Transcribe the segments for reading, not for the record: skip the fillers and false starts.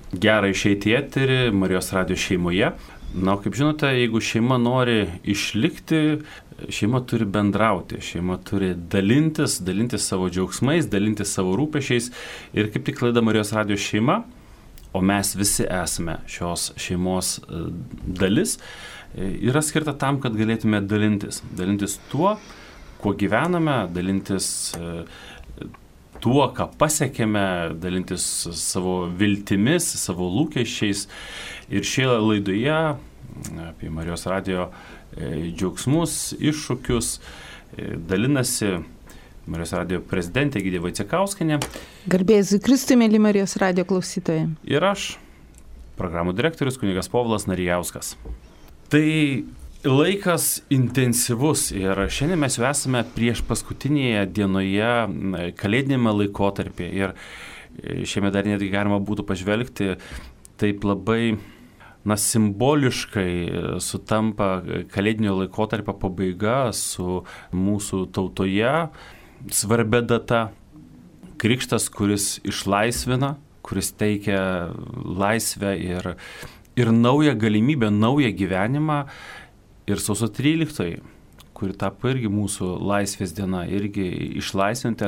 Gera išeiti į eterį Marijos radijo šeimoje. Na, kaip žinote, jeigu šeima nori išlikti, šeima turi bendrauti, šeima turi dalintis savo džiaugsmais, dalintis savo rūpešiais. Ir kaip tik laida Marijos radijo šeima, o mes visi esame šios šeimos dalis, yra skirta tam, kad galėtume dalintis tuo, kuo gyvename, dalintis tuo, ką pasiekėme, dalintis savo viltimis, savo lūkesčiais. Ir šioje laidoje apie Marijos radijo džiaugsmus, iššūkius dalinasi Marijos radijo prezidentė Egidija Vaicekauskienė. Garbė Jėzui Kristui, mėly Marijos radijo klausytojai. Ir aš, programų direktorius kunigas Povilas Narijauskas. Tai laikas intensyvus ir šiandien mes jau esame prieš paskutinėje dienoje kalėdinėme laikotarpyje ir šiame dar netgi galima būtų pažvelgti taip labai simboliškai sutampa kalėdinio laikotarpio pabaiga su mūsų tautoje svarbia data, krikštas, kuris išlaisvina, kuris teikia laisvę ir naują galimybę, naują gyvenimą. Ir sausio 13, kuri tapo irgi mūsų laisvės diena, irgi išlaisvinti,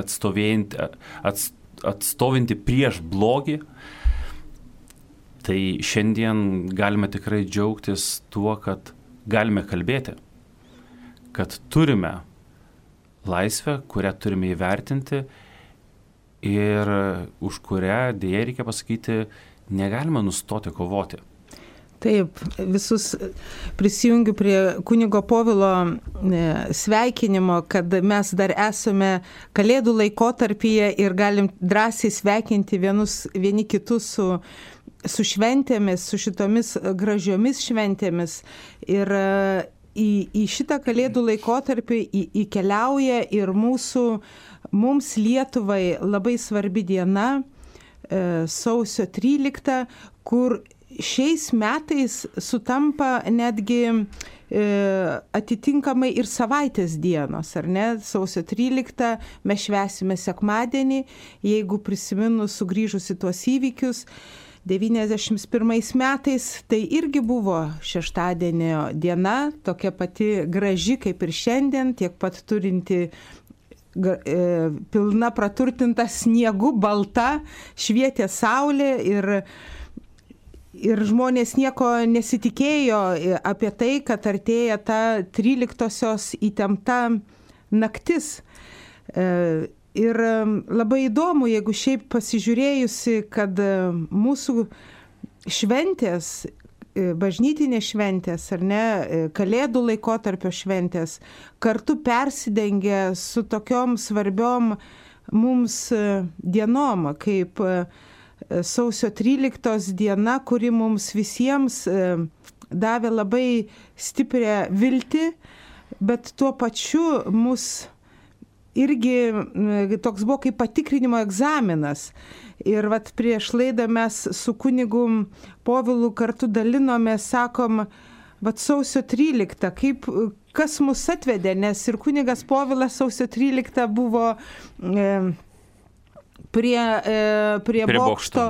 atstovinti prieš blogį. Tai šiandien galime tikrai džiaugtis tuo, kad galime kalbėti, kad turime laisvę, kurią turime įvertinti ir už kurią, dėja reikia pasakyti, negalime nustoti kovoti. Taip, visus prisijungiu prie kunigo Povilo sveikinimo, kad mes dar esame kalėdų laikotarpyje ir galim drąsiai sveikinti vieni kitus su šventėmis, su šitomis gražiomis šventėmis. Ir į šitą kalėdų laikotarpį įkeliauja ir mums Lietuvai labai svarbi diena, sausio 13, kur šiais metais sutampa netgi atitinkamai ir savaitės dienos, ar ne? Sausio 13 mes švęsime sekmadienį, jeigu prisiminus sugrįžusi tuos įvykius, 91 metais tai irgi buvo šeštadienio diena, tokia pati graži kaip ir šiandien, tiek pat turinti pilna praturtinta sniegu, balta, švietė saulė ir žmonės nieko nesitikėjo apie tai, kad artėja ta 13-osios įtempta naktis. Ir labai įdomu, jeigu šiaip pasižiūrėjusi, kad mūsų šventės, bažnytinės šventės, ar ne, kalėdų laikotarpio šventės, kartu persidengia su tokiom svarbiom mums dienom, kaip sausio 13 diena, kuri mums visiems davė labai stiprią viltį, bet tuo pačiu mus irgi toks buvo kaip patikrinimo egzaminas. Ir vat prieš laidą mes su kunigu Povilu kartu dalinomės, sakom, vat sausio 13, kas mus atvedė, nes ir kunigas Povilas sausio 13 buvo prie bokšto,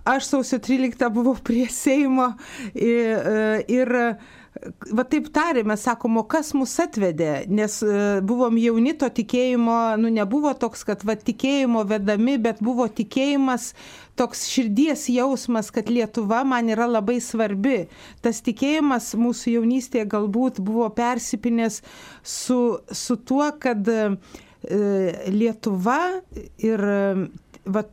aš sausio 13 buvau prie Seimo ir va taip tarėme, sakom, o kas mus atvedė, nes buvom jauni, to tikėjimo, nebuvo toks, kad va tikėjimo vedami, bet buvo tikėjimas, toks širdies jausmas, kad Lietuva man yra labai svarbi. Tas tikėjimas mūsų jaunystėje galbūt buvo persipinęs su tuo, kad Lietuva ir va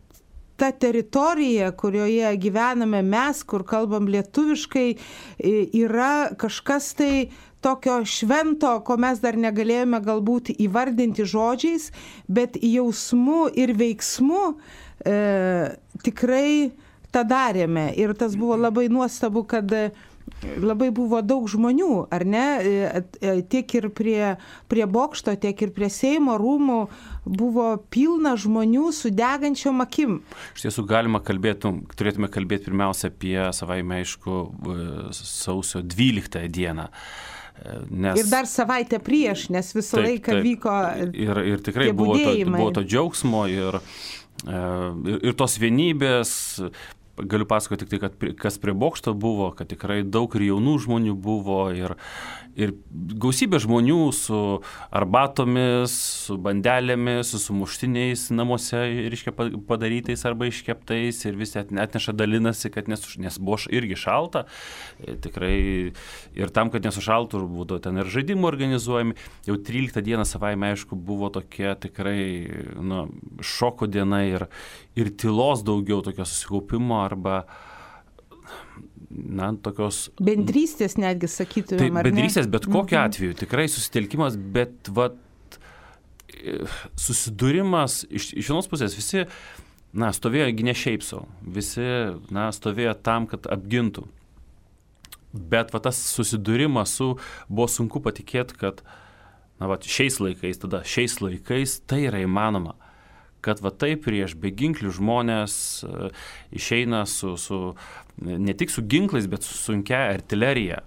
ta teritorija, kurioje gyvename mes, kur kalbam lietuviškai, yra kažkas tai tokio švento, ko mes dar negalėjome galbūt įvardinti žodžiais, bet jausmu ir veiksmu tikrai tą darėme. Ir tas buvo labai nuostabu, kad labai buvo daug žmonių, ar ne, tiek ir prie bokšto, tiek ir prie Seimo rūmų buvo pilna žmonių su degančiom akim. Iš tiesų turėtume kalbėti pirmiausia apie savaime aišku sausio 12 dieną. Ir dar savaitę prieš, nes visą laiką vyko ir tikrai buvo to džiaugsmo ir tos vienybės. galiu pasakoti tik tai, kad kas prie bokšto buvo, kad tikrai daug ir jaunų žmonių buvo ir gausybė žmonių su arbatomis, su bandelėmis, su sumuštiniais namuose, reiškia, padarytais arba iškeptais ir visi atneša, dalinasi, kad nes buvo irgi šalta, tikrai ir tam, kad nesušaltų, būdavo ten ir žaidimų organizuojami. Jau 13 dieną savaime, aišku, buvo tokia tikrai šoko diena ir tylos daugiau, tokio susikaupimo arba tokios... Bendrystės netgi sakytumėm, ar ne? Bendrystės, bet kokiu atveju, tikrai susitelkimas, bet susidūrimas, iš vienos pusės visi, stovėjo ne šiaip sau, visi, stovėjo tam, kad apgintų. Bet tas susidūrimas buvo sunku patikėti, kad šiais laikais tai yra įmanoma. Kad taip prieš beginklių žmonės išeina ne tik su ginklais, bet su sunkia artilerija.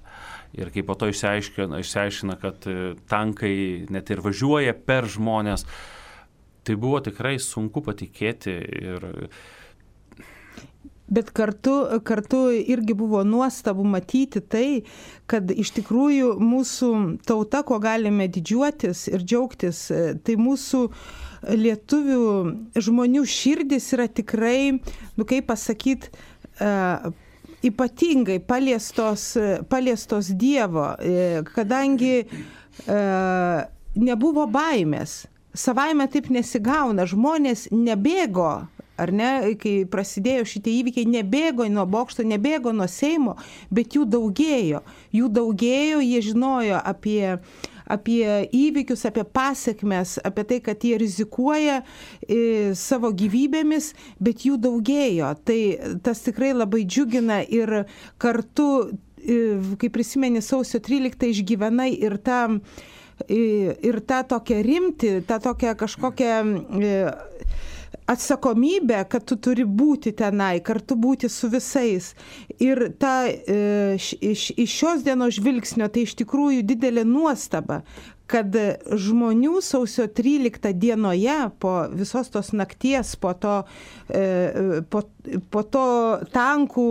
Ir kai po to išsiaiškina, kad tankai net ir važiuoja per žmonės, tai buvo tikrai sunku patikėti. Bet kartu irgi buvo nuostabu matyti tai, kad iš tikrųjų mūsų tauta, ko galime didžiuotis ir džiaugtis, tai mūsų lietuvių žmonių širdis yra tikrai, kaip pasakyti, ypatingai paliestos Dievo, kadangi nebuvo baimės. Savaime taip nesigauna, žmonės nebėgo, ar ne, kai prasidėjo šitie įvykiai, nebėgo nuo bokšto, nebėgo nuo Seimo, bet jų daugėjo, jie žinojo apie įvykius, apie pasekmes, apie tai, kad jie rizikuoja savo gyvybėmis, bet jų daugėjo. Tai tas tikrai labai džiugina ir kartu, kai prisimeni sausio 13 išgyvenai ir tą tokią rimtį, tą tokią kažkokią atsakomybę, kad tu turi būti tenai, kartu būti su visais. Ir iš šios dienos žvilgsnio tai iš tikrųjų didelė nuostaba, kad žmonių sausio 13 dienoje, po visos tos nakties, po to tankų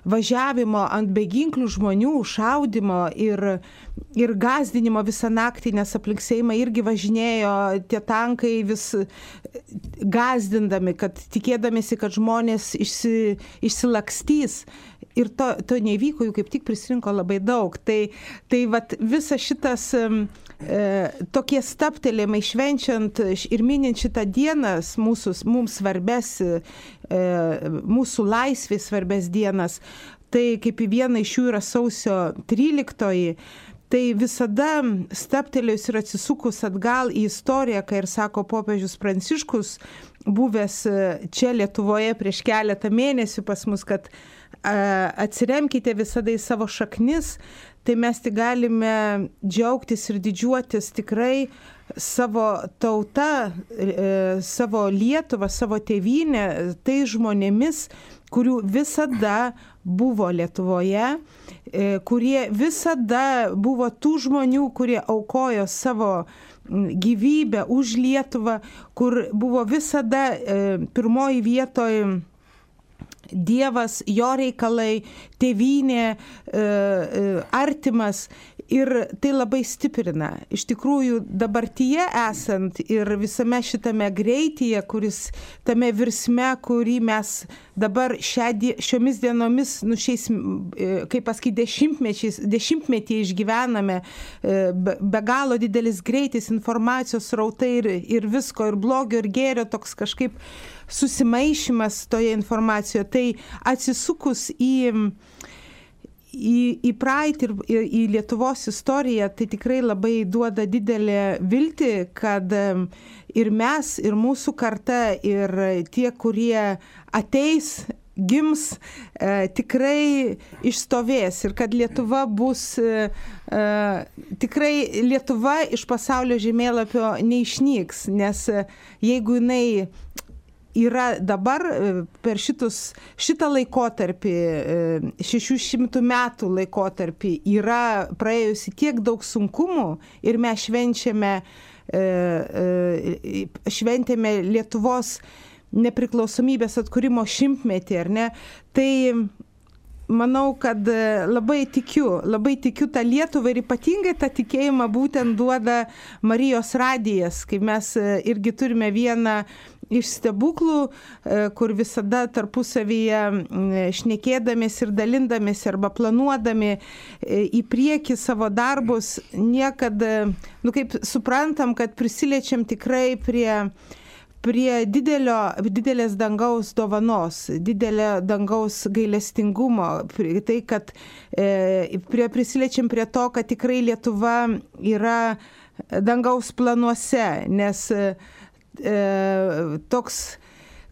važiavimo ant beginklių žmonių, šaudimo ir gąsdinimo visą naktį, nes aplink Seimą irgi važinėjo tie tankai vis gąsdindami, kad tikėdamėsi, kad žmonės išsilakstys. Ir to nevyko, jų kaip tik prisirinko labai daug. Tai visas šitas tokie stabtelėjimai švenčiant ir minint šitą dieną mums svarbes, mūsų laisvės svarbes dienas, tai kaip viena iš jų yra sausio 13, tai visada stabtelėjus ir atsisukus atgal į istoriją, kai ir sako popiežius Pranciškus, buvęs čia Lietuvoje prieš keletą mėnesių pas mus, kad atsiremkite visada į savo šaknis, tai mes tik galime džiaugtis ir didžiuotis tikrai savo tauta, savo Lietuvą, savo tėvynę, tai žmonėmis, kurių visada buvo Lietuvoje, kurie visada buvo tų žmonių, kurie aukojo savo gyvybę už Lietuvą, kur buvo visada pirmoji vietoje Dievas, jo reikalai, tėvynė, artimas. Ir tai labai stiprina. Iš tikrųjų, dabartyje esant ir visame šitame greityje, tame virsme, kurį mes dabar šiomis dienomis, šiais, kaip pasakyti, dešimtmetį išgyvename, be galo didelis greitis, informacijos srautai ir visko, ir blogio, ir gėrio, toks kažkaip susimaišymas toje informacijoje. Tai atsisukus į praeitį ir į Lietuvos istoriją, tai tikrai labai duoda didelę viltį, kad ir mes, ir mūsų karta, ir tie, kurie ateis, gims, tikrai išstovės ir kad Lietuva bus, tikrai Lietuva iš pasaulio žemėlapio neišnyks, nes jeigu jinai yra dabar per šitą laikotarpį, 600 metų laikotarpį, yra praėjusi tiek daug sunkumų ir mes šventėme Lietuvos nepriklausomybės atkūrimo 100-metį, ar ne? Tai manau, kad labai tikiu tą Lietuvą ir ypatingai tą tikėjimą būtent duoda Marijos radijas, kai mes irgi turime vieną iš stebuklų, kur visada tarpusavyje šnekėdamės ir dalindamės arba planuodami į priekį savo darbus, niekada, kaip suprantam, kad prisiliečiam tikrai prie didelės dangaus dovanos, didelio dangaus gailestingumo, tai, kad prisiliečiam prie to, kad tikrai Lietuva yra dangaus planuose, nes toks,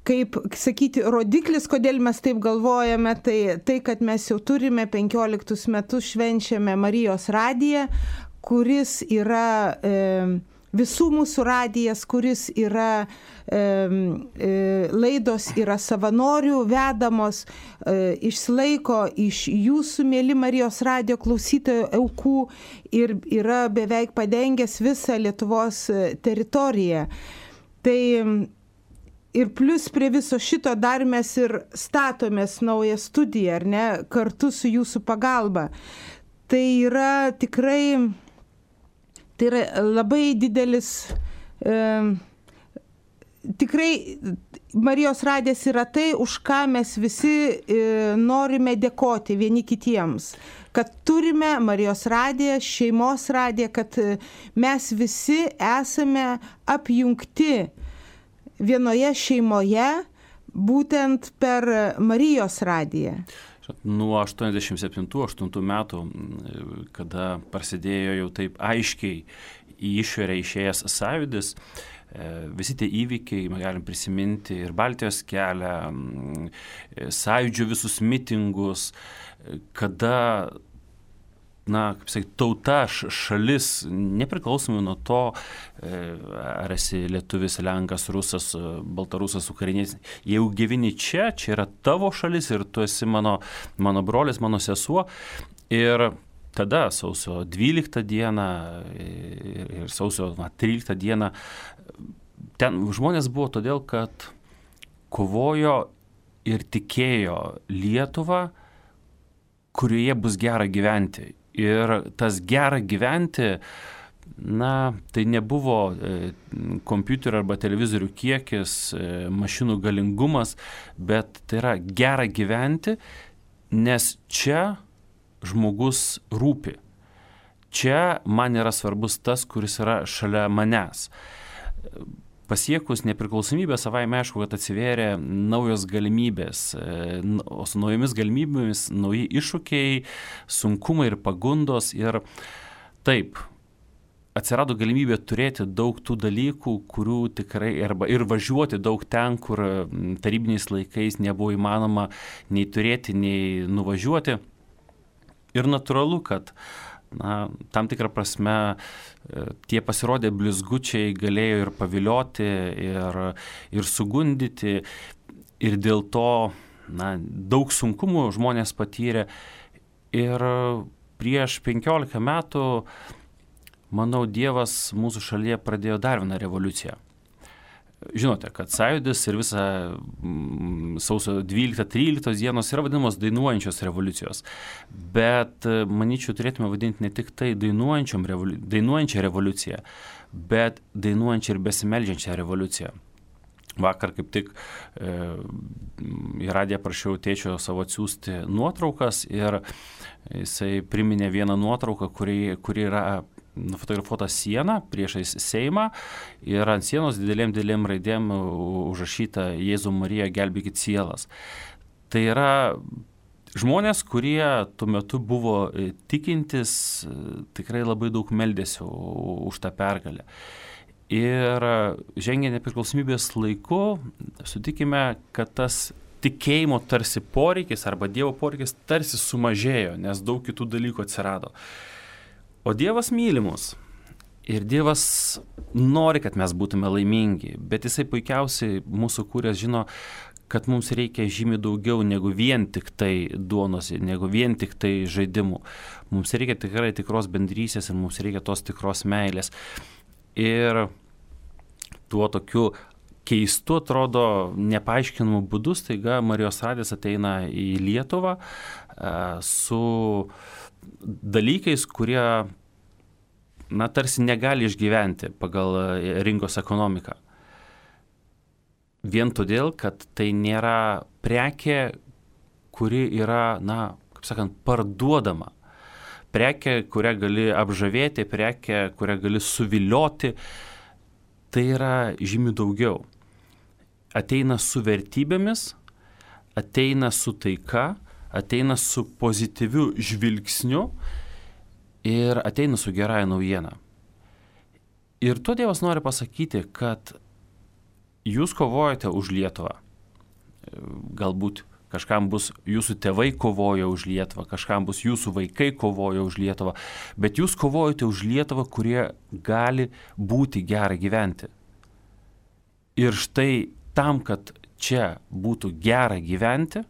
kaip sakyti, rodiklis, kodėl mes taip galvojame, tai kad mes jau turime 15 metus švenčiame Marijos radiją, kuris yra visų mūsų radijas, kuris yra laidos yra savanorių vedamos, išsilaiko iš jūsų, mėly Marijos radijo klausytojų, aukų ir yra beveik padengęs visą Lietuvos teritoriją. Tai ir plus prie viso šito dar mes ir statomės naują studiją, ar ne, kartu su jūsų pagalba. Tai yra tikrai labai didelis, tikrai Marijos radijas yra tai, už ką mes visi norime dėkoti vieni kitiems. Kad turime Marijos radiją, šeimos radiją, kad mes visi esame apjungti vienoje šeimoje, būtent per Marijos radiją. Nuo 87-8 metų, kada prasidėjo jau taip aiškiai į išorę išėjęs sąjūdis, visi tie įvykiai, galim prisiminti ir Baltijos kelią, sąjūdžio visus mitingus, kada, kaip sakyti, tauta, šalis, nepriklausomai nuo to, ar esi lietuvis, lenkas, rusas, baltarusas, ukrainietis, jeigu gyveni čia yra tavo šalis ir tu esi mano brolis, mano sesuo. Ir tada sausio 12 dieną ir sausio 13 dieną ten žmonės buvo todėl, kad kovojo ir tikėjo Lietuvą, kurioje bus gera gyventi. Ir tas gera gyventi, tai nebuvo kompiuterio arba televizorių kiekis, mašinų galingumas, bet tai yra gera gyventi, nes čia žmogus rūpi. Čia man yra svarbus tas, kuris yra šalia manęs. Pasiekus nepriklausomybę savaime aišku, kad atsivėrė naujos galimybės, o su naujomis galimybėmis nauji iššūkiai, sunkumai ir pagundos. Ir taip, atsirado galimybė turėti daug tų dalykų, kurių tikrai, ir važiuoti daug ten, kur tarybiniais laikais nebuvo įmanoma nei turėti, nei nuvažiuoti. Ir natūralu, kad tam tikrą prasme tie pasirodę blizgučiai galėjo ir pavilioti, ir sugundyti, ir dėl to daug sunkumų žmonės patyrė. Ir prieš 15 metų, manau, Dievas mūsų šalyje pradėjo dar vieną revoliuciją. Žinote, kad sąjūdis ir visa sausio 12-13 dienos yra vadinamos dainuojančios revoliucijos. Bet, manyčiau, turėtume vadinti ne tik tai dainuojančią revoliuciją, bet dainuojančią ir besimeldžiančią revoliuciją. Vakar kaip tik į radiją prašiau tėčio savo atsiųsti nuotraukas ir jisai priminė vieną nuotrauką, kuri yra nufotografuota siena priešais Seimą ir ant sienos didelėm raidėm užrašyta Jėzau Marija, gelbėkit sielas. Tai yra žmonės, kurie tuo metu buvo tikintis, tikrai labai daug meldėsi už tą pergalę. Ir žengę nepriklausomybės laiku, sutikime, kad tas tikėjimo tarsi poreikis arba Dievo poreikis tarsi sumažėjo, nes daug kitų dalykų atsirado. O Dievas myli mus ir Dievas nori, kad mes būtume laimingi, bet Jisai puikiausiai mūsų kūręs žino, kad mums reikia žymiai daugiau negu vien tik tai duonos, negu vien tik tai žaidimų. Mums reikia tikrai tikros bendrystės ir mums reikia tos tikros meilės. Ir tuo tokiu keistu atrodo nepaaiškinamu būdu staiga Marijos radijas ateina į Lietuvą su dalykais, kurie tarsi negali išgyventi pagal rinkos ekonomiką. Vien todėl, kad tai nėra prekė, kuri yra, kaip sakant, parduodama. Prekė, kurią gali apžavėti, prekė, kurią gali suvilioti, tai yra žymiai daugiau. Ateina su vertybėmis, ateina su taika, ateina su pozityviu žvilgsniu ir ateina su gerąja naujiena. Ir tuo Dievas nori pasakyti, kad jūs kovojate už Lietuvą. Galbūt kažkam bus jūsų tėvai kovoja už Lietuvą, kažkam bus jūsų vaikai kovoja už Lietuvą, bet jūs kovojate už Lietuvą, kurie gali būti gera gyventi. Ir štai tam, kad čia būtų gera gyventi,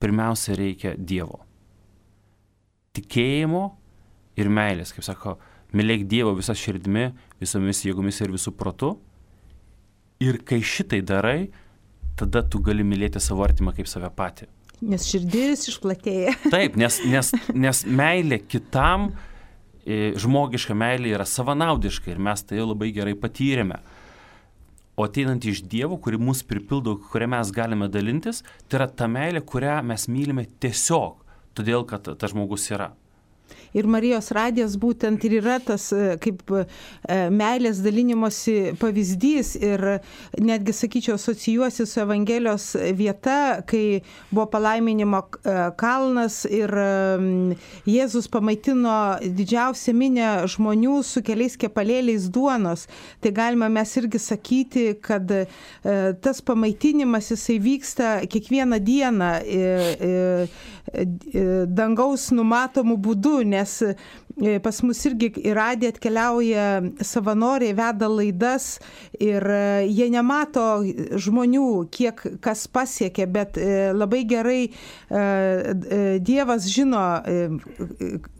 pirmiausia reikia Dievo. Tikėjimo ir meilės, kaip sako, mylėk Dievo visą širdimi, visomis jėgomis ir visų protu. Ir kai šitai darai, tada tu gali mylėti savo artimą kaip save patį. Nes širdis išplatėja. Taip, nes meilė kitam, žmogiška meilė yra savanaudiška ir mes tai labai gerai patyrėme. O ateinant iš Dievo, kuri mus pripildo, kurią mes galime dalintis, tai yra ta meilė, kurią mes mylime tiesiog, todėl kad tas žmogus yra. Ir Marijos radijas būtent ir yra tas kaip meilės dalinimosi pavyzdys ir netgi, sakyčiau, asocijuosi su Evangelijos vieta, kai buvo palaiminimo kalnas ir Jėzus pamaitino didžiausią minią žmonių su keliais kepalėliais duonos. Tai galima mes irgi sakyti, kad tas pamaitinimas jisai vyksta kiekvieną dieną dangaus numatomų būdų, nes pas mus irgi į radiją atkeliauja savanoriai, veda laidas ir jie nemato žmonių, kiek kas pasiekia, bet labai gerai Dievas žino,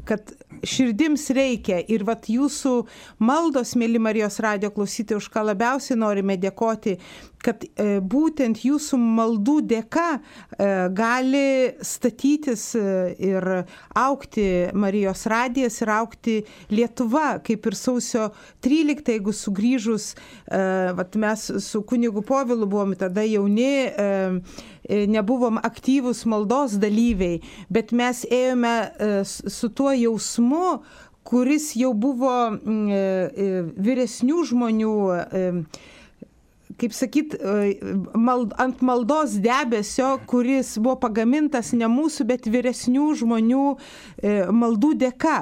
kad širdims reikia ir vat jūsų maldos, mėly Marijos radijo klausytojai, už ką labiausiai norime dėkoti, kad būtent jūsų maldų dėka gali statytis ir aukti Marijos radijas ir aukti Lietuva, kaip ir sausio 13, jeigu sugrįžus, vat mes su kunigu Povilu buvom tada jauni, nebuvom aktyvūs maldos dalyviai, bet mes ėjome su tuo jausmu, kuris jau buvo vyresnių žmonių, kaip sakyt, ant maldos debesio, kuris buvo pagamintas ne mūsų, bet vyresnių žmonių maldų dėka.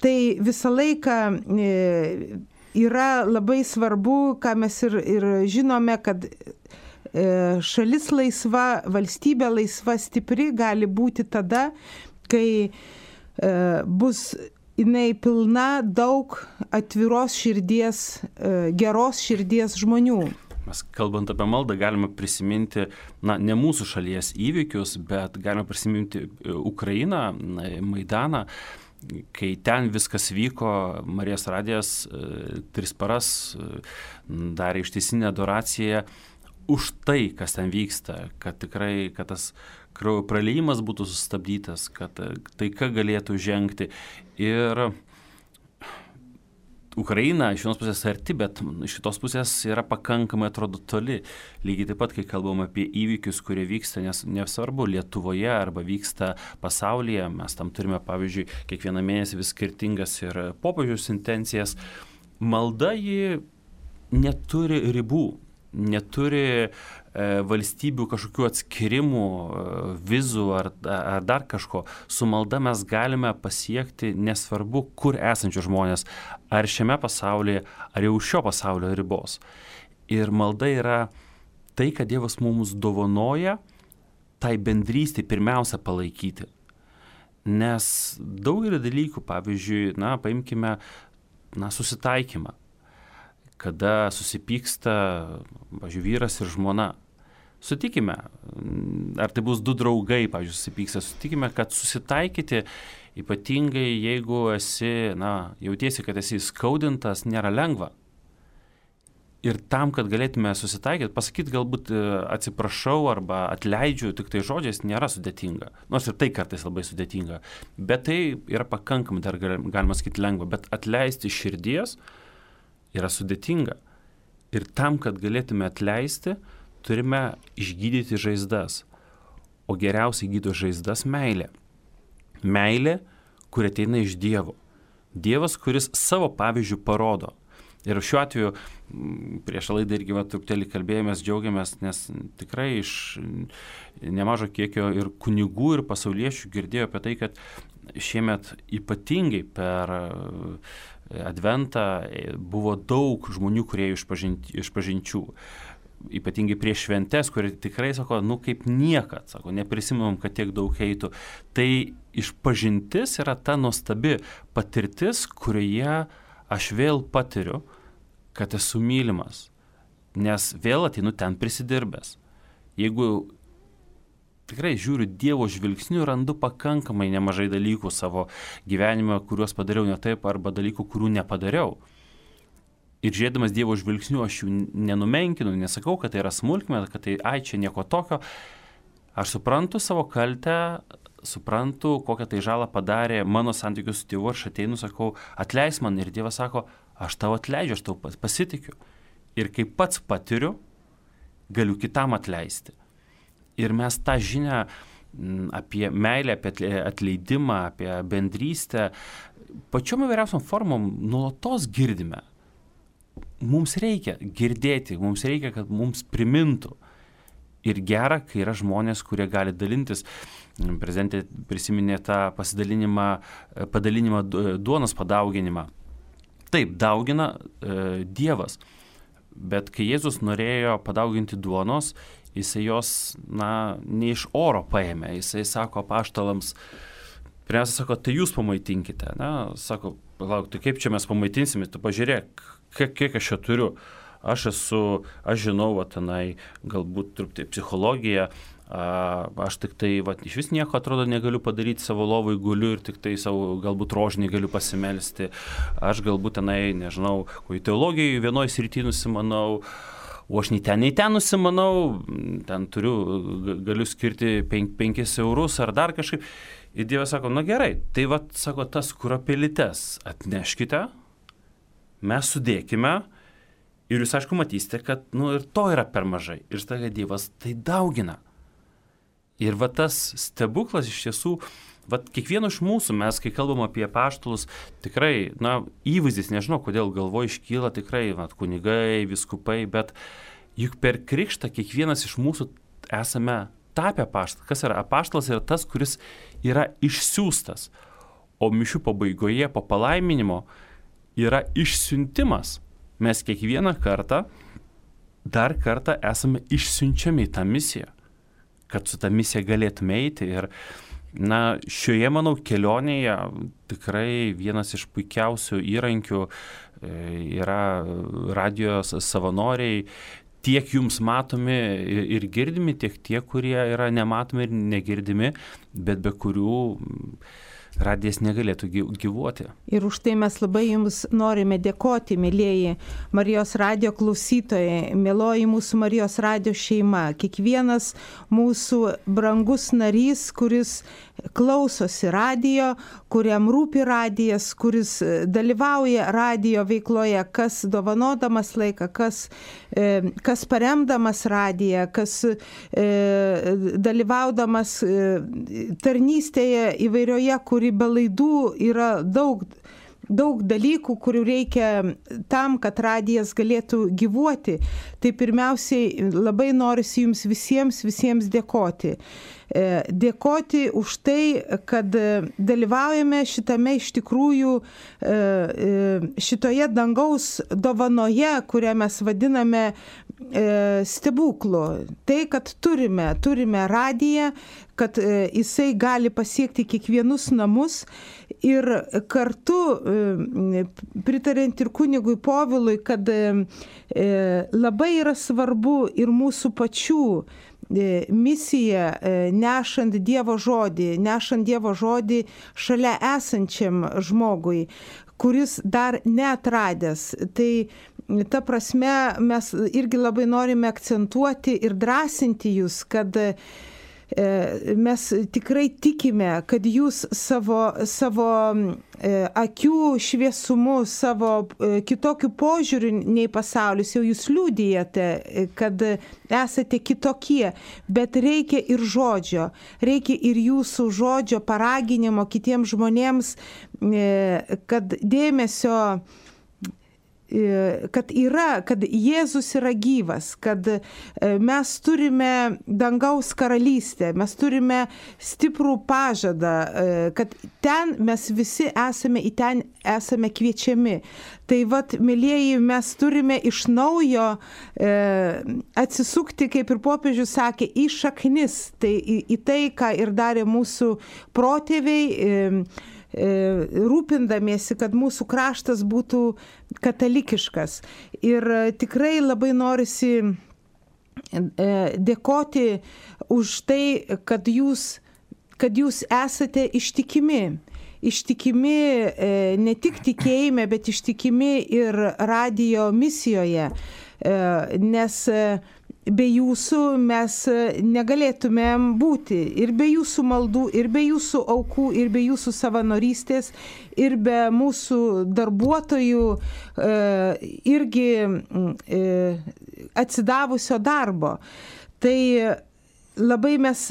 Tai visą laiką yra labai svarbu, ką mes ir žinome, kad šalis laisva, valstybė laisva, stipri gali būti tada, kai bus jinai pilna daug atviros širdies, geros širdies žmonių. Mes kalbant apie maldą galime prisiminti, ne mūsų šalies įvykius, bet galime prisiminti Ukrainą, Maidaną, kai ten viskas vyko, Marijos radijas 3 paras darė ištisinę adoraciją už tai, kas ten vyksta, kad tikrai, kad tas kraujo praliejimas būtų sustabdytas, kad taika galėtų žengti. Ir Ukraina iš vienos pusės arti, bet iš kitos pusės yra pakankamai atrodo toli. Lygiai taip pat, kai kalbam apie įvykius, kurie vyksta, nes nesvarbu Lietuvoje arba vyksta pasaulyje, mes tam turime, pavyzdžiui, kiekvieną mėnesį vis skirtingas ir popiežiaus intencijas. Malda ji neturi ribų, neturi valstybių kažkokių atskirimų, vizų ar dar kažko. Su malda mes galime pasiekti nesvarbu, kur esančius žmonės, ar šiame pasaulyje, ar jau šio pasaulio ribos. Ir malda yra tai, kad Dievas mums dovanoja tai bendrystį pirmiausia palaikyti. Nes daugelį dalykų, pavyzdžiui, paimkime susitaikymą. Kada susipyksta, pavyzdžiui, vyras ir žmona. Sutikime, ar tai bus 2 draugai, pavyzdžiui, susipyksta, sutikime, kad susitaikyti, ypatingai jeigu esi, jautiesi, kad esi skaudintas, nėra lengva. Ir tam, kad galėtume susitaikyti, pasakyti galbūt atsiprašau arba atleidžiu, tik tai žodžiais nėra sudėtinga. Nors ir tai kartais labai sudėtinga. Bet tai yra pakankamai, dar galima sakyti, lengva. Bet atleisti širdies yra sudėtinga. Ir tam, kad galėtume atleisti, turime išgydyti žaizdas. O geriausiai gydo žaizdas meilė. Meilė, kuri ateina iš Dievo. Dievas, kuris savo pavyzdžių parodo. Ir šiuo atveju, prieš laidą irgi truputėlį kalbėjomės, džiaugiamės, nes tikrai iš nemažo kiekio ir kunigų, ir pasauliečių girdėjo apie tai, kad šiemet ypatingai per Adventą buvo daug žmonių, kurie išpažinčių. Ypatingai prieš šventes, kurie tikrai sako, kaip niekad, sako, neprisimam, kad tiek daug eitų. Tai išpažintis yra ta nuostabi patirtis, kurioje aš vėl patiriu, kad esu mylimas, nes vėl ateinu ten prisidirbęs. Jeigu tikrai žiūriu Dievo žvilgsniu, randu pakankamai nemažai dalykų savo gyvenime, kuriuos padariau ne taip, arba dalykų, kurių nepadariau. Ir žiūrėdamas Dievo žvilgsniu, aš jų nenumenkinu, nesakau, kad tai yra smulkmena, kad tai, čia nieko tokio. Aš suprantu savo kaltę, suprantu, kokią tai žalą padarė mano santykius su Dievu, aš ateinu, sakau, atleis man, ir Dievas sako, aš tau atleidžiu, aš tau pasitikiu. Ir kai pats patiriu, galiu kitam atleisti. Ir mes tą žinią apie meilę, apie atleidimą, apie bendrystę, pačiom įvairiausiom formom nuolatos girdime. Mums reikia girdėti, mums reikia, kad mums primintų. Ir gera, kai yra žmonės, kurie gali dalintis. Prezidentė prisiminė tą padalinimą duonos padauginimą. Taip, daugina Dievas. Bet kai Jėzus norėjo padauginti duonos, jisai jos, ne iš oro paėmė. Jisai sako apaštalams, pirmiausia sako, tai jūs pamaitinkite. Sako, palauk, tai kaip čia mes pamaitinsime, tu pažiūrėk, kiek aš čia turiu. Aš žinau, tenai galbūt truputį psichologiją, aš tik tai, iš vis nieko atrodo negaliu padaryti, savo lovai guliu ir tik tai savo galbūt rožinį galiu pasimelsti. Aš galbūt tenai, nežinau, į teologiją vienoje srityje nusimanau, o aš nei ten nusimanau, ten galiu skirti 5 eurus ar dar kažkaip. Ir Dievas sako, gerai, tai sako, tas kuropelytes atneškite, mes sudėkime. Ir jūs, aišku, matysite, kad ir to yra per mažai. Ir staiga Dievas tai daugina. Ir tas stebuklas iš tiesų, kiekvieno iš mūsų, mes, kai kalbam apie apaštalus, tikrai, įvaizdis, nežinau, kodėl galvoje iškyla tikrai, kunigai, vyskupai, bet juk per krikštą kiekvienas iš mūsų esame tapę apaštalai. Kas yra apaštalas? Yra tas, kuris yra išsiųstas. O mišių pabaigoje, po palaiminimo, yra išsiuntimas. Mes kiekvieną kartą, dar kartą esame išsiunčiami į tą misiją, kad su tą misiją galėtume eiti. Ir, šioje, manau, kelionėje tikrai vienas iš puikiausių įrankių yra radijo savanoriai, tiek jums matomi ir girdimi, tiek tie, kurie yra nematomi ir negirdimi, bet be kurių radijas negalėtų gyvuoti. Ir už tai mes labai jums norime dėkoti, mėlieji Marijos radijo klausytojai, mėloji mūsų Marijos radijo šeima, kiekvienas mūsų brangus narys, kuris klausosi radijo, kuriam rūpi radijas, kuris dalyvauja radijo veikloje, kas dovanodamas laiką, kas paremdamas radiją, kas dalyvaudamas tarnystėje įvairioje, kuri be laidų yra daug dalykų, kurių reikia tam, kad radijas galėtų gyvuoti. Tai pirmiausiai labai norisi jums visiems dėkoti. Dėkoti už tai, kad dalyvaujame šitame iš tikrųjų šitoje dangaus dovanoje, kurią mes vadiname stebuklu. Tai, kad turime radiją, kad jisai gali pasiekti kiekvienus namus ir kartu pritariant ir kunigui Povilui, kad labai yra svarbu ir mūsų pačių misija nešant Dievo žodį šalia esančiam žmogui, kuris dar neatradęs. Tai ta prasme mes irgi labai norime akcentuoti ir drąsinti jūs, kad mes tikrai tikime, kad jūs savo akių šviesumu, savo kitokių požiūrių nei pasaulis, jau jūs liudijate, kad esate kitokie, bet reikia ir žodžio, reikia ir jūsų žodžio paraginimo kitiems žmonėms, kad dėmesio, kad Jėzus yra gyvas, kad mes turime dangaus karalystę, mes turime stiprų pažadą, kad ten mes visi esame, į ten esame kviečiami. Tai vat, mylieji, mes turime iš naujo atsisukti, kaip ir popiežius sakė, į šaknis, tai į tai, ką ir darė mūsų protėviai, rūpindamiesi, kad mūsų kraštas būtų katalikiškas. Ir tikrai labai norisi dėkoti už tai, kad jūs esate ištikimi. Ištikimi ne tik tikėjime, bet ištikimi ir radijo misijoje, nes be jūsų mes negalėtumėm būti, ir be jūsų maldų, ir be jūsų aukų, ir be jūsų savanorystės, ir be mūsų darbuotojų irgi atsidavusio darbo. Tai labai mes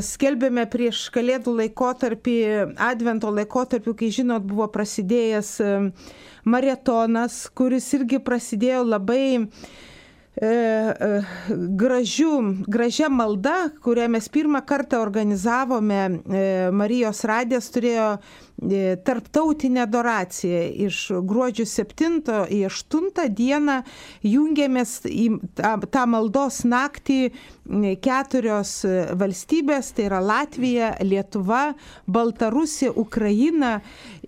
skelbėme prieš Kalėdų laikotarpį, Advento laikotarpį, kai žinot, buvo prasidėjęs maratonas, kuris irgi prasidėjo labai gražia malda, kurią mes pirmą kartą organizavome. Marijos radijas turėjo tarptautinę adoraciją. Iš gruodžio 7 į 8 dieną jungiamės į tą maldos naktį 4 valstybės, tai yra Latvija, Lietuva, Baltarusija, Ukraina,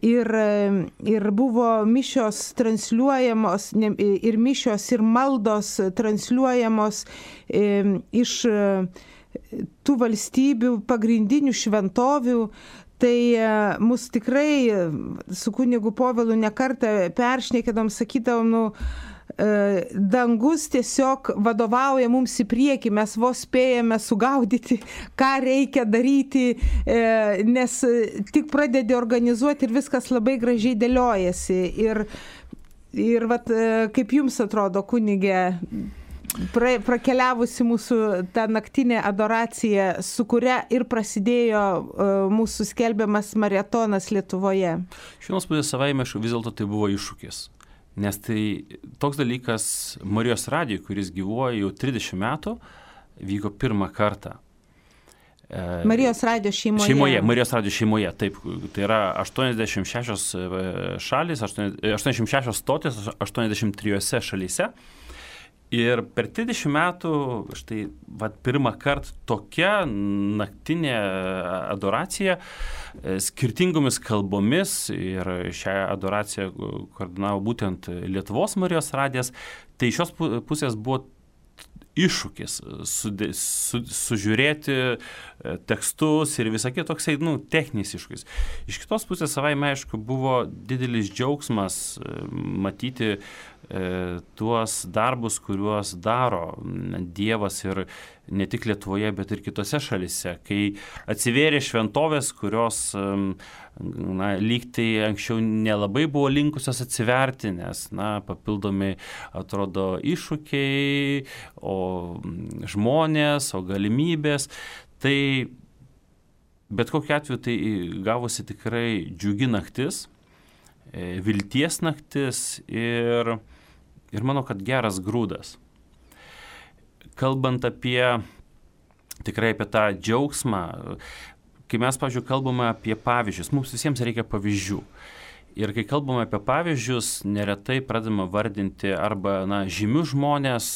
ir buvo mišios transliuojamos, ir mišios ir maldos transliuojamos iš tų valstybių pagrindinių šventovių. Tai mus tikrai su kunigu Povilu nekartą peršnekėdom, sakydavom, dangus tiesiog vadovauja mums į priekį, mes vos spėjame sugaudyti, ką reikia daryti, nes tik pradedi organizuoti ir viskas labai gražiai dėliojasi. Ir vat, kaip jums atrodo, kunige, prakeliavusi mūsų tą naktinę adoraciją, su kuria ir prasidėjo mūsų skelbiamas maratonas Lietuvoje? Iš vienos pusės savaime vis dėlto tai buvo iššūkis. Nes tai toks dalykas Marijos radijui, kuris gyvuoja jau 30 metų, vyko pirmą kartą. Marijos radijo šeimoje. Marijos radijo šeimoje, taip. Tai yra 86 šalis, 86 stotis 83 šalyse. Ir per 30 metų, štai, pirmą kartą tokia naktinė adoracija skirtingomis kalbomis, ir šią adoraciją koordinavo būtent Lietuvos Marijos radijas, tai iš šios pusės buvo iššūkis sužiūrėti tekstus ir visą kitą, toksai, techninis iššūkis. Iš kitos pusės savaime, aišku, buvo didelis džiaugsmas matyti tuos darbus, kuriuos daro Dievas, ir ne tik Lietuvoje, bet ir kitose šalyse, kai atsivėrė šventovės, kurios lyg tai anksčiau nelabai buvo linkusios atsiverti, nes papildomi atrodo iššūkiai, o žmonės, o galimybės. Tai bet kokiu atveju tai gavosi tikrai džiugi naktis, vilties naktis ir manau, kad geras grūdas. Kalbant tikrai apie tą džiaugsmą, kai mes, pavyzdžiui, kalbame apie pavyzdžius, mums visiems reikia pavyzdžių. Ir kai kalbame apie pavyzdžius, neretai pradedame vardinti arba žymius žmonės,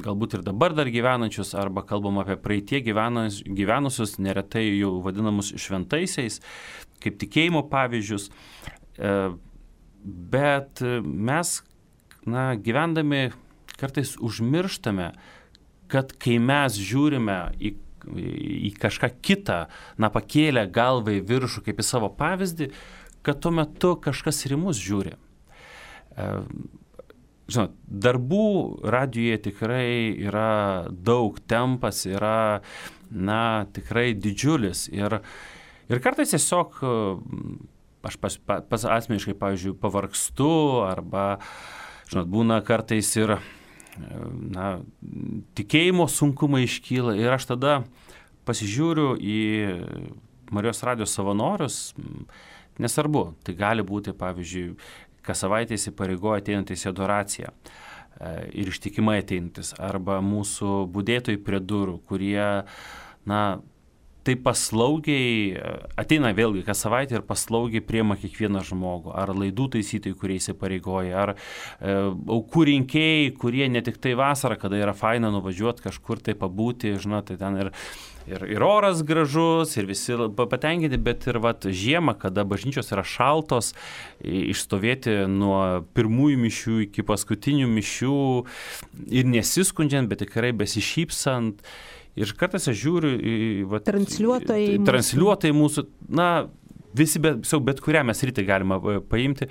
galbūt ir dabar dar gyvenančius, arba kalbame apie praeitie gyvenusius, neretai jau vadinamus šventaisiais, kaip tikėjimo pavyzdžius. Bet mes, gyvendami, kartais užmirštame, kad kai mes žiūrime į kažką kitą, pakėlę galvą į viršų kaip į savo pavyzdį, kad tuo metu kažkas ir į mus žiūri. Žinot, darbų radijuje tikrai yra daug, tempas yra, tikrai didžiulis. Ir kartais tiesiog aš pats asmeniškai, pavyzdžiui, pavargstu arba, žinot, būna kartais ir tikėjimo sunkumai iškyla ir aš tada pasižiūriu į Marijos radijo savanorius, nesvarbu, tai gali būti, pavyzdžiui, kas savaitę įsipareigoja ateinantis į adoraciją ir ištikimai ateinantis, arba mūsų budėtojai prie durų, kurie, tai paslaugiai ateina vėlgi kas savaitę ir paslaugiai priima kiekvieną žmogų, ar laidų taisytojai, kurie įsipareigoja, ar aukų rinkėjai, kurie ne tik tai vasarą, kada yra faina nuvažiuoti kažkur tai pabūti, žinot, tai ten ir oras gražus, ir visi patenkinti, bet ir žiemą, kada bažnyčios yra šaltos, išstovėti nuo pirmųjų mišių iki paskutinių mišių ir nesiskundžiant, bet tikrai besišypsant. Ir kartais aš žiūriu į transliuotojai mūsų, visi bet kurią mes rytį galima paimti.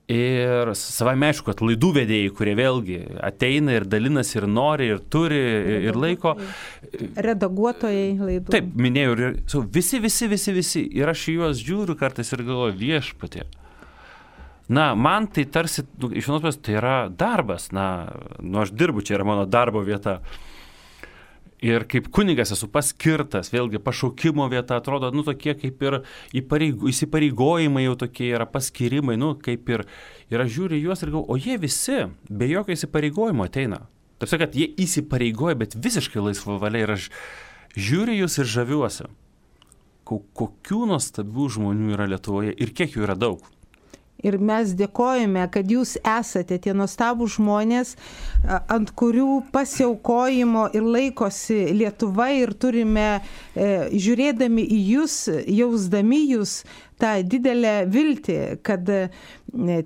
Ir savame aišku, kad laidų vedėjai, kurie vėlgi ateina ir dalinasi ir nori, ir turi, ir laiko. Redaguotojai laidų. Taip, minėjau, visi. Ir aš į juos žiūriu kartais ir galvoju, viešpatie. Man tai tarsi, iš vienos pusės, tai yra darbas. Aš dirbu, čia yra mano darbo vieta. Ir kaip kunigas esu paskirtas, vėlgi pašaukimo vieta, atrodo, tokie kaip ir įsipareigojimai jau tokie yra, paskirimai, kaip ir aš žiūriu juos ir galvoju, o jie visi be jokio įsipareigojimo ateina. Taip sakant, jie įsipareigoja, bet visiškai laisvo valia ir aš žiūriu jūs ir žaviuosi. Kokių nuostabių žmonių yra Lietuvoje ir kiek jų yra daug. Ir mes dėkojame, kad jūs esate tie nuostabūs žmonės, ant kurių pasiaukojimo ir laikosi Lietuva ir turime, žiūrėdami į jūs, jausdami jūs, tą didelę viltį, kad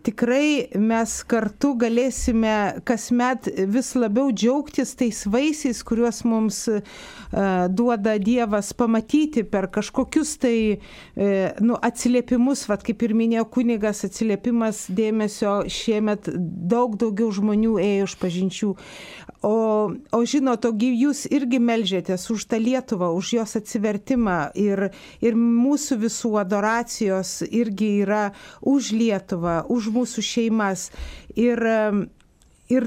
tikrai mes kartu galėsime kasmet vis labiau džiaugtis tais vaisiais, kuriuos mums duoda Dievas pamatyti per kažkokius tai atsiliepimus, kaip ir minėjo kunigas, atsiliepimas dėmesio šiemet daug daugiau žmonių ėjo iš pažinčių. O žinot, jūs irgi meldžiatės už tą Lietuvą, už jos atsivertimą ir mūsų visų adoracijos irgi yra už Lietuvą, už mūsų šeimas. Ir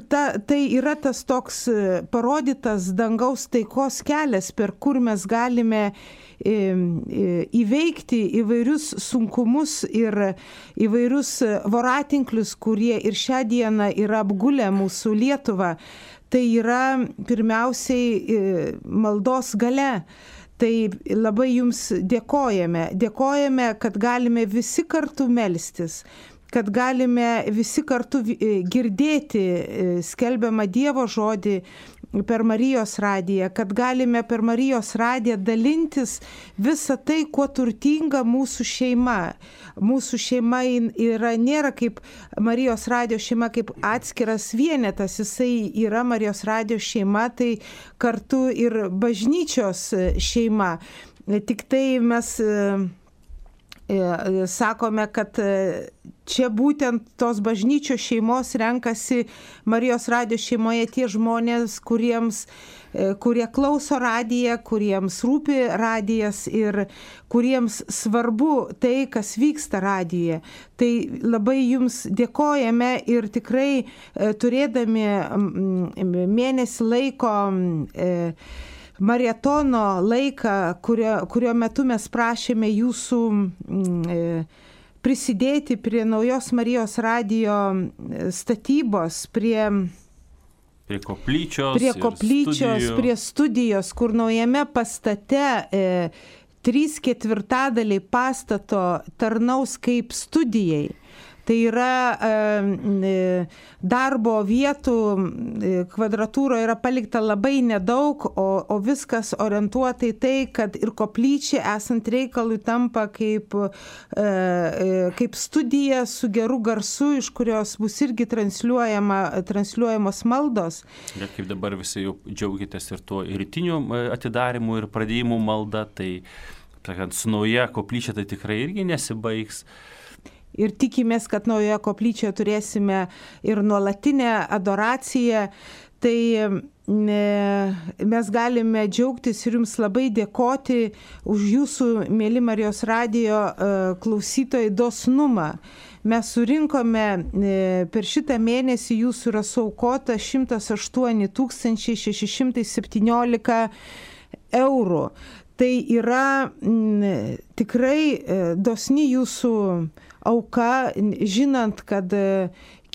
tai yra tas toks parodytas dangaus taikos kelias, per kur mes galime įveikti įvairius sunkumus ir įvairius voratinklius, kurie ir šią dieną yra apgulę mūsų Lietuvą. Tai yra pirmiausiai maldos galia. Tai labai jums dėkojame. Dėkojame, kad galime visi kartu melstis, kad galime visi kartu girdėti skelbiamą Dievo žodį per Marijos radiją, kad galime per Marijos radiją dalintis visą tai, kuo turtinga mūsų šeima. Mūsų šeima nėra kaip Marijos radijo šeima, kaip atskiras vienetas, jisai yra Marijos radijo šeima, tai kartu ir bažnyčios šeima. Tik tai mes sakome, kad čia būtent tos bažnyčios šeimos renkasi Marijos radijo šeimoje tie žmonės, kurie klauso radiją, kuriems rūpi radijas ir kuriems svarbu tai, kas vyksta radijoje. Tai labai jums dėkojame ir tikrai turėdami mėnesį laiko maratono laiką, kurio metu mes prašėme jūsų prisidėti prie naujos Marijos radijo statybos, prie koplyčios, prie studijos, kur naujame pastate 3/4 pastato tarnaus kaip studijai. Tai yra darbo vietų kvadratūro yra palikta labai nedaug, o viskas orientuota į tai, kad ir koplyčia esant reikalui tampa kaip studija su geru garsu, iš kurios bus irgi transliuojamos maldos. Ir kaip dabar visi jau džiaugitės ir tuo rytiniu atidarymu ir pradėjimu malda, tai su nauja koplyčia tai tikrai irgi nesibaigs. Ir tikimės, kad naujoje koplyčioje turėsime ir nuolatinę adoraciją. Tai mes galime džiaugtis ir jums labai dėkoti už jūsų, mėly Marijos radijo klausytojai, dosnumą. Mes surinkome per šitą mėnesį, jūsų yra suaukota 108 617 eurų. Tai yra tikrai dosni jūsų auka, žinant, kad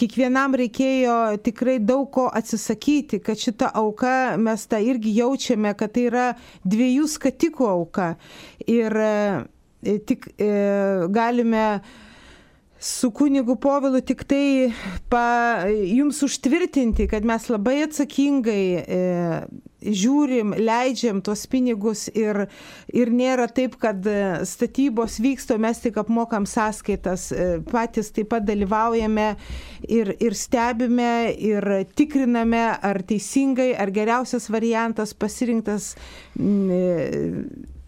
kiekvienam reikėjo tikrai daug ko atsisakyti, kad šita auka, mes tą irgi jaučiame, kad tai yra 2 skatikų auka. Ir tik galime su kunigu Povilu tik tai jums užtvirtinti, kad mes labai atsakingai žiūrim, leidžiam tuos pinigus ir nėra taip, kad statybos vyksta, mes tik apmokam sąskaitas, patys taip pat dalyvaujame ir stebime ir tikriname, ar teisingai, ar geriausias variantas pasirinktas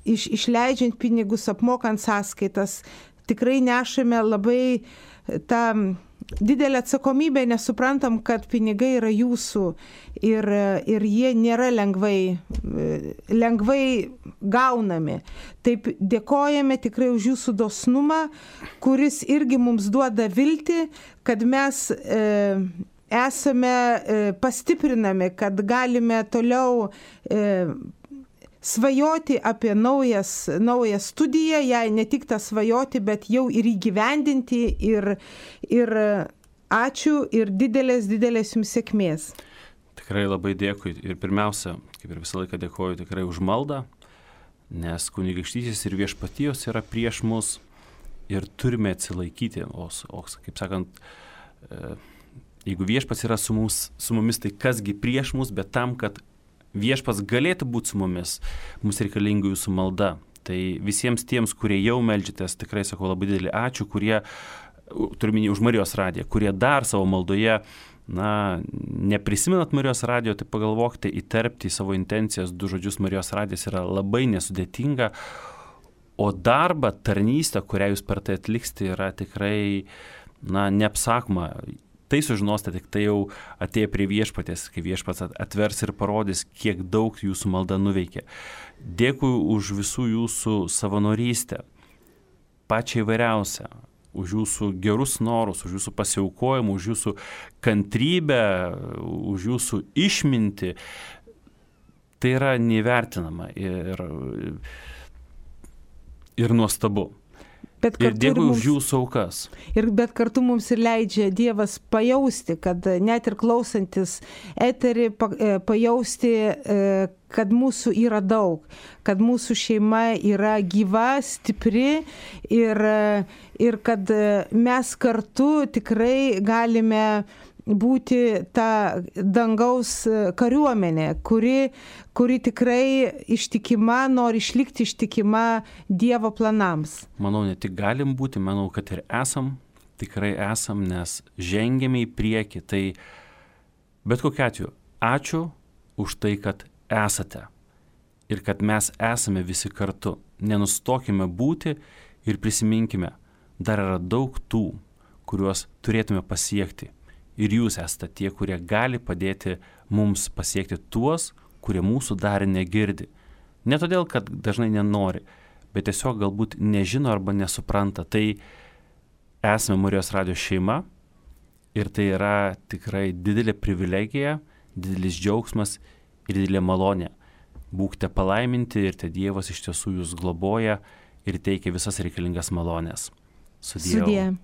išleidžiant pinigus, apmokant sąskaitas. Tikrai nešame labai tą didelę atsakomybę, nes suprantam, kad pinigai yra jūsų ir jie nėra lengvai gaunami. Taip dėkojame tikrai už jūsų dosnumą, kuris irgi mums duoda viltį, kad mes esame pastiprinami, kad galime toliau svajoti apie naują studiją, jei ne tik tą svajoti, bet jau ir įgyvendinti ir ačiū ir didelės jums sėkmės. Tikrai labai dėkui ir pirmiausia, kaip ir visą laiką dėkoju tikrai už maldą, nes kunigaikštystės ir viešpatijos yra prieš mus ir turime atsilaikyti, o kaip sakant, jeigu viešpats yra su mumis, tai kasgi prieš mus, bet tam, kad viešpats galėtų būti su mumis, mums reikalinga jūsų malda. Tai visiems tiems, kurie jau meldžiatės, tikrai sakau labai didelį ačiū, kurie, turiu minėti už Marijos radiją, kurie dar savo maldoje, neprisimenat Marijos radijo, tai pagalvokite įterpti į savo intencijas 2 žodžius Marijos radijas yra labai nesudėtinga, o darbą, tarnystę, kurią jūs per tai atliksite, yra tikrai, neapsakoma. Tai sužinosite, tik tai jau atėję prie viešpatės, kai viešpats atvers ir parodys, kiek daug jūsų malda nuveikė. Dėkui už visų jūsų savanorystę, pačią įvairiausią, už jūsų gerus norus, už jūsų pasiaukojimą, už jūsų kantrybę, už jūsų išmintį. Tai yra neįvertinama ir nuostabu. Ir dėkui už jūsų aukas. Bet kartu mums ir leidžia Dievas pajausti, kad net ir klausantis eterį, pajausti, kad mūsų yra daug, kad mūsų šeima yra gyva, stipri ir kad mes kartu tikrai galime būti ta dangaus kariuomenė, kuri tikrai ištikima, nori išlikti ištikima Dievo planams. Manau, ne tik galim būti, manau, kad ir tikrai esam, nes žengėme į priekį. Tai bet kokiu atveju, ačiū už tai, kad esate ir kad mes esame visi kartu. Nenustokime būti ir prisiminkime, dar yra daug tų, kuriuos turėtume pasiekti. Ir jūs esate tie, kurie gali padėti mums pasiekti tuos, kurie mūsų dar negirdi. Ne todėl, kad dažnai nenori, bet tiesiog galbūt nežino arba nesupranta. Tai esame Marijos radijo šeima ir tai yra tikrai didelė privilegija, didelis džiaugsmas ir didelė malonė. Būkite palaiminti ir te Dievas iš tiesų jūs globoja ir teikia visas reikalingas malonės. Sudie.